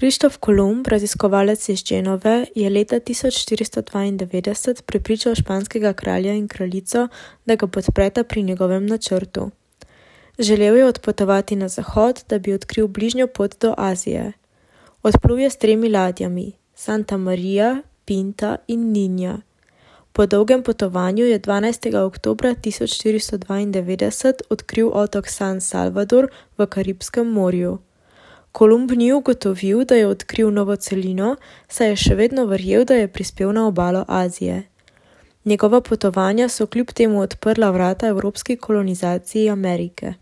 Krištof Kolumb, raziskovalec iz Genove, je leta 1492 prepričal španskega kralja in kraljico, da ga podpreta pri njegovem načrtu. Želel je odpotovati na zahod, da bi odkril bližnjo pot do Azije. Odplul je s 3 ladjami, Santa Maria, Pinta in Ninja. Po dolgem potovanju je 12. oktobra 1492 odkril otok San Salvador v Karibskem morju. Kolumb ni ugotovil, da je odkril novo celino, saj je še vedno verjel, da je prispel na obalo Azije. Njegova potovanja so kljub temu odprla vrata evropski kolonizaciji Amerike.